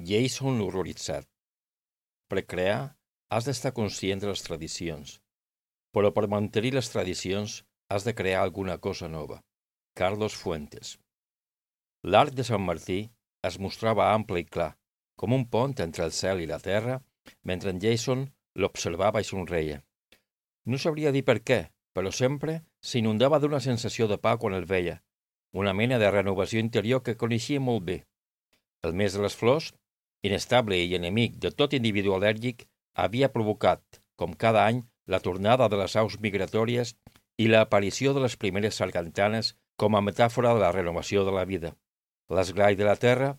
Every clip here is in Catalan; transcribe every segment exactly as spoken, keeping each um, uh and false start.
Jason horroritzat. Per crear, has d'estar conscient de les tradicions, però per mantenir les tradicions has de crear alguna cosa nova. Carlos Fuentes. L'arc de Sant Martí es mostrava ample i clar, com un pont entre el cel i la terra, mentre en Jason l'observava i somreia. No sabria dir per què, però sempre s'inundava d'una sensació de pau quan el veia, una mena de renovació interior que coneixia molt bé. El mes de les flors, inestable i enemic de tot individu al·lèrgic, havia provocat, com cada any, la tornada de les aus migratòries i l'aparició de les primeres sargantanes com a metàfora de la renovació de la vida. L'esglai de la terra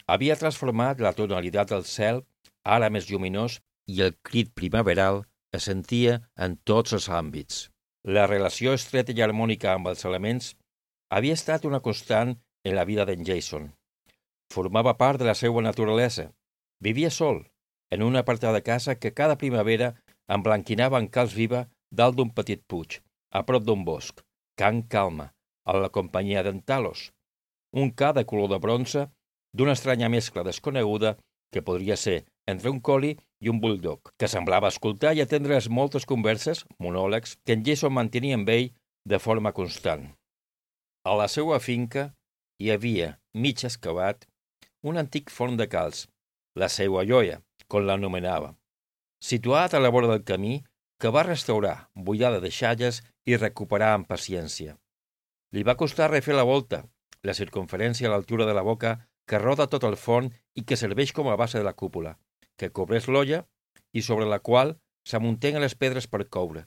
havia transformat la tonalitat del cel, ara més lluminós, i el crit primaveral es sentia en tots els àmbits. La relació estreta i harmònica amb els elements havia estat una constant en la vida d'en Jason. Formava part de la seva naturalesa. Vivia sol, en una apartada casa que cada primavera emblanquinava en calç viva dalt d'un petit puig, a prop d'un bosc, Can Calma, a la companyia d'en Talos, un ca de color de bronze d'una estranya mescla desconeguda que podria ser entre un collie i un bulldog, que semblava escoltar i atendre les moltes converses, monòlegs, que en Jason mantenia amb ell de forma constant. A la seva finca hi havia, mig excavat, un antic forn de calç, la seua joia, com l'anomenava, situat a la vora del camí que va restaurar, buidada de xalles i recuperar amb paciència. Li va costar refer la volta, la circunferència a l'altura de la boca que roda tot el forn i que serveix com a base de la cúpula, que cobreix l'olla i sobre la qual s'amunteguen les pedres per coure.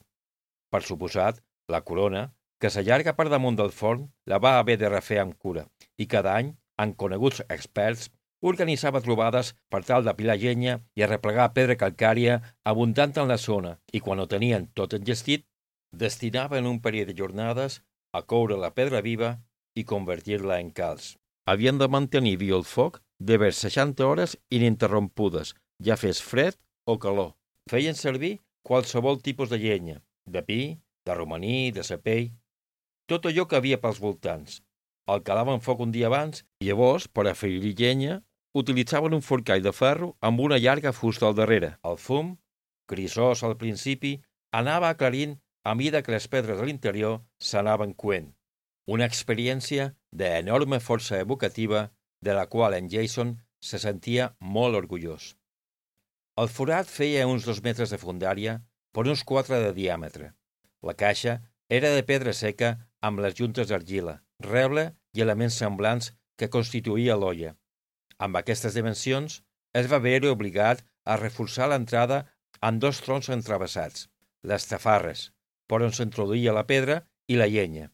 Per suposat, la corona, que s'allarga per damunt del forn, la va haver de refer amb cura, i cada any, amb coneguts experts, organitzava trobades per tal d'apilar llenya i arreplegar pedra calcària abundant en la zona, i quan ho tenien tot engestit, destinaven un període de jornades a coure la pedra viva i convertir-la en calç. Havien de mantenir viu el foc de vers seixanta hores ininterrompudes, ja fes fred o calor. Feien servir qualsevol tipus de llenya, de pi, de romaní, de sapell, tot allò que havia pels voltants. El calaven foc un dia abans i llavors, per afegir llenya, utilitzaven un forcall de ferro amb una llarga fusta al darrere. El fum, grisós al principi, anava aclarint a mida que les pedres de l'interior s'anaven coent. Una experiència d'enorme força evocativa de la qual en Jason se sentia molt orgullós. El forat feia uns dos metres de fondària per uns quatre de diàmetre. La caixa era de pedra seca amb les juntes d'argila, reble i elements semblants que constituïa l'olla. Amb aquestes dimensions es va veure obligat a reforçar l'entrada amb dos troncs entravessats, les tafarres, per on s'introduïa la pedra i la llenya.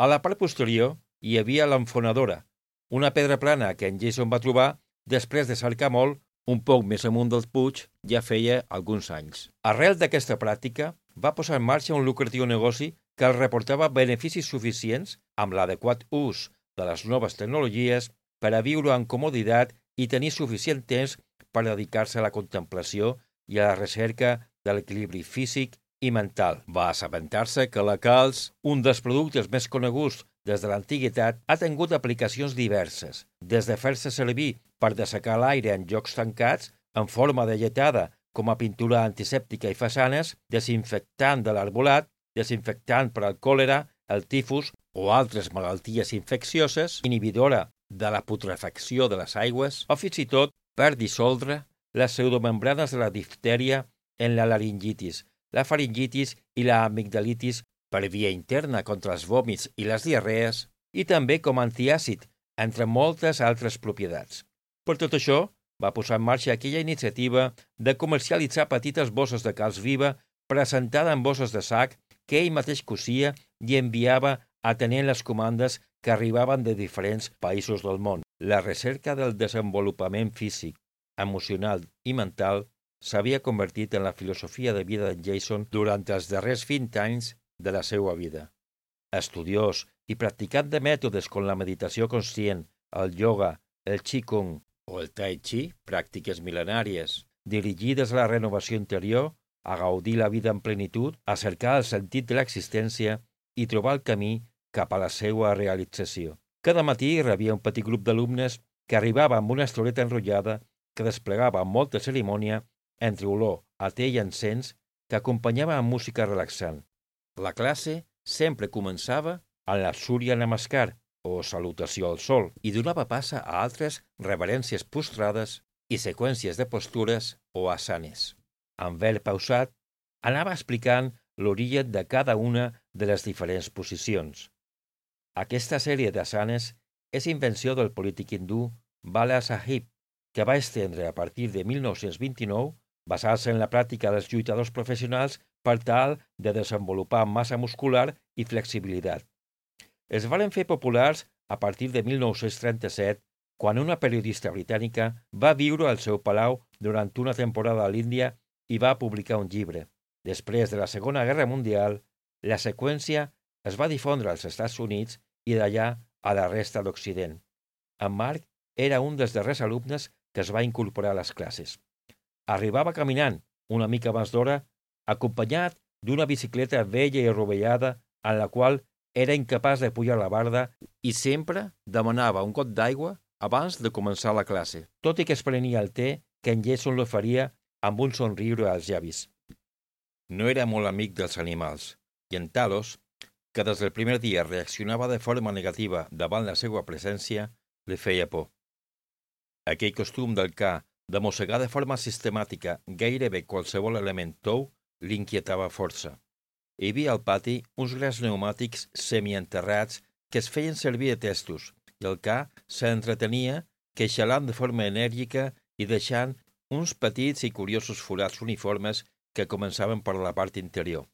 A la part posterior hi havia l'enfonadora, una pedra plana que en Jason va trobar després de cercar molt un poc més amunt del puig ja feia alguns anys. Arrel d'aquesta pràctica, va posar en marxa un lucratiu negoci que els reportava beneficis suficients amb l'adequat ús de les noves tecnologies per a viure amb comoditat i tenir suficient temps per dedicar-se a la contemplació i a la recerca de l'equilibri físic i mental. Va assabentar-se que la calç, un dels productes més coneguts des de l'antiguitat, ha tingut aplicacions diverses, des de fer-se servir per dessecar l'aire en llocs tancats, en forma de lletada, com a pintura antisèptica i façanes, desinfectant de l'arbolat, desinfectant per al còlera, el tifus o altres malalties infeccioses, inhibidora de la putrefacció de les aigües, o fins i tot per dissoldre les pseudomembranes de la diftèria en la laringitis, la faringitis i la amigdalitis per via interna contra els vòmits i les diarrees, i també com a antiàcid, entre moltes altres propietats. Per tot això, va posar en marxa aquella iniciativa de comercialitzar petites bosses de calç viva presentada en bosses de sac que ell mateix cosia i enviava atenent les comandes que arribaven de diferents països del món. La recerca del desenvolupament físic, emocional i mental s'havia convertit en la filosofia de vida de Jason durant els darrers vint anys de la seva vida. Estudiós i practicant de mètodes com la meditació conscient, el ioga, el qigong o el tai chi, pràctiques mil·lenàries, dirigides a la renovació interior, a gaudir la vida en plenitud, a cercar el sentit de l'existència i trobar el camí cap a la seva realització. Cada matí rebia un petit grup d'alumnes que arribava amb una estoreta enrotllada que desplegava amb molta cerimònia entre olor a te i encens que acompanyava amb música relaxant. La classe sempre començava amb la Surya Namaskar, o salutació al sol, i donava passa a altres reverències postrades i seqüències de postures o asanes. En verb pausat, anava explicant l'origen de cada una de les diferents posicions. Aquesta sèrie d'asanes és invenció del polític hindú Bala Sahib, que va estendre a partir de mil nou-cents vint-i-nou, basant-se en la pràctica dels lluitadors professionals per tal de desenvolupar massa muscular i flexibilitat. Es varen fer populars a partir de mil nou-cents trenta-set, quan una periodista britànica va viure al seu palau durant una temporada a l'Índia i va publicar un llibre. Després de la Segona Guerra Mundial, la seqüència es va difondre als Estats Units i d'allà a la resta d'Occident. En Mark era un dels darrers alumnes que es va incorporar a les classes. Arribava caminant, una mica abans d'hora, acompanyat d'una bicicleta vella i rovellada en la qual era incapaç de pujar la barda i sempre demanava un got d'aigua abans de començar la classe, tot i que es prenia el te que en Jason l'oferia amb un somriure als llavis. No era molt amic dels animals, i en Talos, que des del primer dia reaccionava de forma negativa davant la seva presència, li feia por. Aquell costum del ca de mossegar de forma sistemàtica gairebé qualsevol element tou l'inquietava força. Hi havia al pati uns grans pneumàtics semienterrats que es feien servir de testos i el ca s'entretenia queixalant de forma enèrgica i deixant uns petits i curiosos forats uniformes que començaven per la part interior.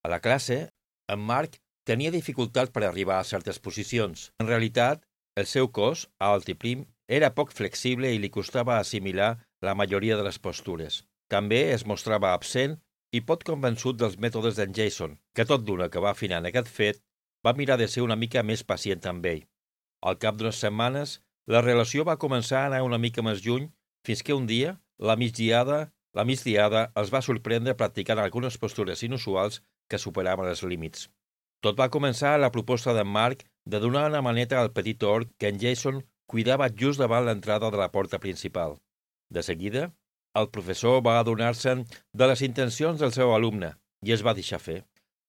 A la classe, en Mark tenia dificultat per arribar a certes posicions. En realitat, el seu cos, alt i prim, era poc flexible i li costava assimilar la majoria de les postures. També es mostrava absent i poc convençut dels mètodes d'en Jason, que tot d'una que va afinant aquest fet, va mirar de ser una mica més pacient amb ell. Al cap d'unes setmanes, la relació va començar a anar una mica més lluny, fins que un dia, la migdiada, la migdiada els va sorprendre practicant algunes postures inusuals que superaven els límits. Tot va començar a la proposta d'en Mark de donar una maneta al petit orc que en Jason cuidava just davant l'entrada de la porta principal. De seguida, el professor va adonar-se'n de les intencions del seu alumne i es va deixar fer.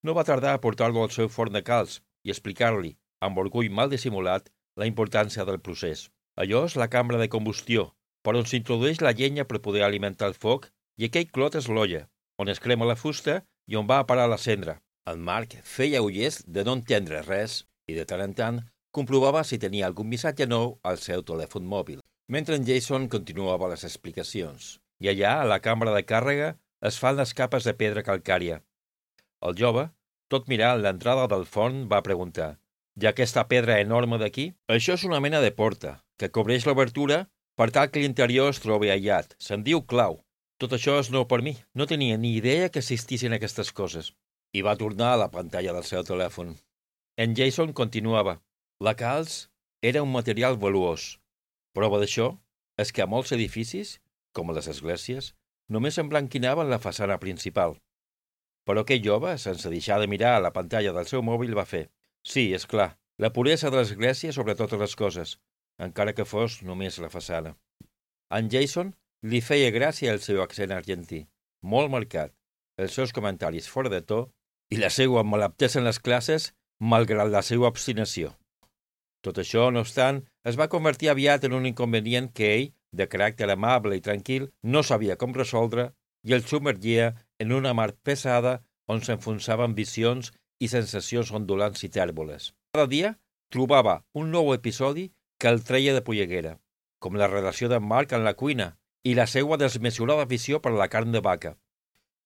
No va tardar a portar-lo al seu forn de calç i explicar-li, amb orgull mal dissimulat, la importància del procés. Allò és la cambra de combustió, per on s'introdueix la llenya per poder alimentar el foc, i aquell clot és l'olla, on es crema la fusta i on va a parar la cendra. En Mark feia ullers de no entendre res i de tant en tant comprovava si tenia algun missatge nou al seu telèfon mòbil, mentre en Jason continuava les explicacions. I allà, a la cambra de càrrega, es fan les capes de pedra calcària. El jove, tot mirant l'entrada del forn, va preguntar: «I aquesta pedra enorme d'aquí?» «Això és una mena de porta, que cobreix l'obertura per tal que l'interior es trobi aïllat. Se'n diu clau. Tot això és nou per mi. No tenia ni idea que existissin aquestes coses». I va tornar a la pantalla del seu telèfon. En Jason continuava: «La calç era un material valuós. Prova d'això és que a molts edificis, com a les esglésies, només emblanquinaven la façana principal». Però aquell jove, sense deixar de mirar a la pantalla del seu mòbil, va fer: «Sí, és clar, la puresa de l'església sobre totes les coses, encara que fos només la façana». En Jason li feia gràcia el seu accent argentí, molt marcat, els seus comentaris fora de to i la seva malaptesa en les classes, malgrat la seva obstinació. Tot això, no obstant, es va convertir aviat en un inconvenient que ell, de caràcter amable i tranquil, no sabia com resoldre i el submergia en una mar pesada on s'enfonsaven visions i sensacions ondulants i tèrboles. Cada dia trobava un nou episodi que el treia de polleguera, com la relació d'en Mark en la cuina i la seva desmesurada afició per la carn de vaca.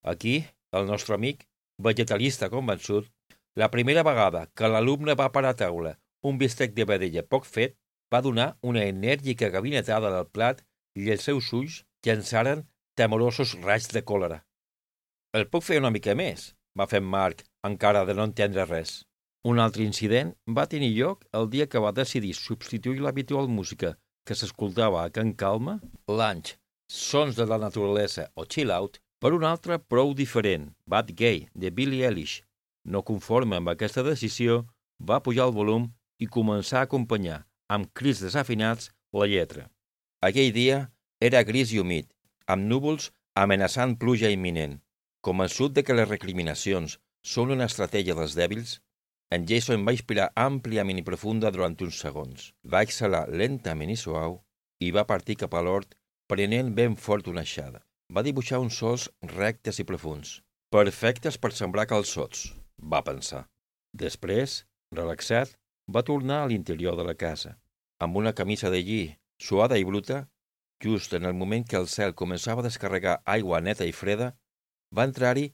Aquí, el nostre amic, vegetalista convençut, la primera vegada que l'alumne va parar a taula un bistec de vedella poc fet, va donar una enèrgica gabinetada del plat i els seus ulls llançaren temorosos raigs de còlera. «El puc fer una mica més?» va fer en Mark, encara de no entendre res. Un altre incident va tenir lloc el dia que va decidir substituir l'habitual música que s'escoltava a Can Calma, Lunch, Sons de la naturalesa o Chill Out, per un altre prou diferent, Bad Gay, de Billie Eilish. No conforme amb aquesta decisió, va pujar el volum i començar a acompanyar, amb crits desafinats, la lletra. Aquell dia era gris i humit, amb núvols amenaçant pluja imminent. Convençut de que les recriminacions són una estratègia dels dèbils, en Jason va inspirar àmpliament i profunda durant uns segons. Va exhalar lentament i suau i va partir cap a l'hort, prenent ben fort una aixada. Va dibuixar uns sols rectes i profunds, perfectes per sembrar calçots, va pensar. Després, relaxat, va tornar a l'interior de la casa. Amb una camisa de lli suada i bruta, just en el moment que el cel començava a descarregar aigua neta i freda, va entrar-hi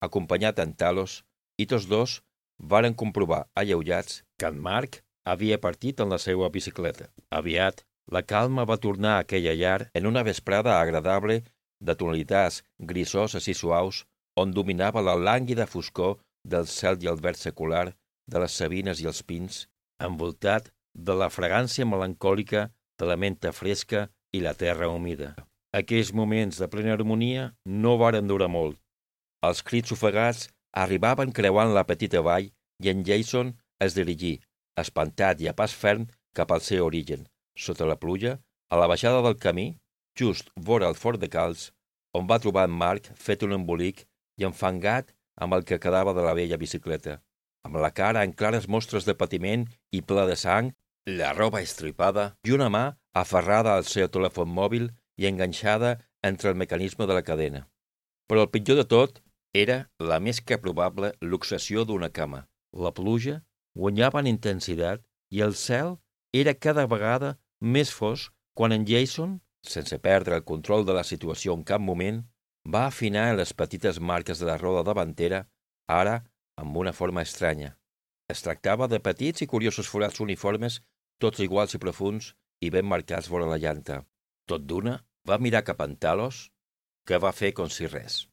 acompanyat d'en Talos i tots dos varen comprovar, alleujats, que en Marc havia partit en la seva bicicleta. Aviat, la calma va tornar a aquella llar en una vesprada agradable de tonalitats grisoses i suaus on dominava la lànguida foscor del cel i el verd secular de les sabines i els pins, envoltat de la fragància melancòlica de la menta fresca i la terra humida. Aquells moments de plena harmonia no varen durar molt. Els crits ofegats arribaven creuant la petita vall i en Jason es dirigí, espantat i a pas ferm, cap al seu origen, sota la pluja, a la baixada del camí, just vora el fort de Calç, on va trobar en Marc fet un embolic i enfangat amb el que quedava de la vella bicicleta, amb la cara en clares mostres de patiment i ple de sang, la roba estripada i una mà aferrada al seu telèfon mòbil i enganxada entre el mecanisme de la cadena. Però el pitjor de tot era la més que probable luxació d'una cama. La pluja guanyava en intensitat i el cel era cada vegada més fosc quan en Jason, sense perdre el control de la situació en cap moment, va afinar les petites marques de la roda davantera, ara amb una forma estranya. Es tractava de petits i curiosos forats uniformes, tots iguals i profunds i ben marcats vora la llanta. Tot d'una, va mirar cap a en Talos, que va fer com si res.